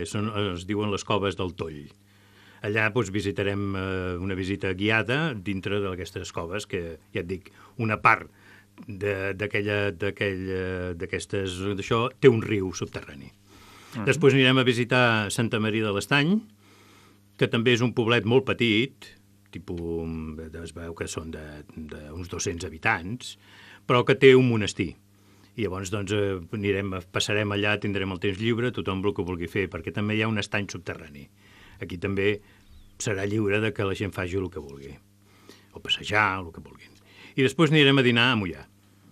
es diuen les coves del Toll. Allà visitarem una visita guiada dintre d'aquestes coves, que ja et dic, una part d'aquestes d'això té un riu subterrani. Després anirem a visitar Santa Maria de l'Estany, que també és un poblet molt petit, es veu que són d'uns 200 habitants, però que té un monestir. I llavors passarem allà, tindrem el temps lliure, tothom el que vulgui fer, perquè també hi ha un estany subterrani. Aquí també serà lliure que la gent faci el que vulgui, o passejar, el que vulguin. I després anirem a dinar a Moià.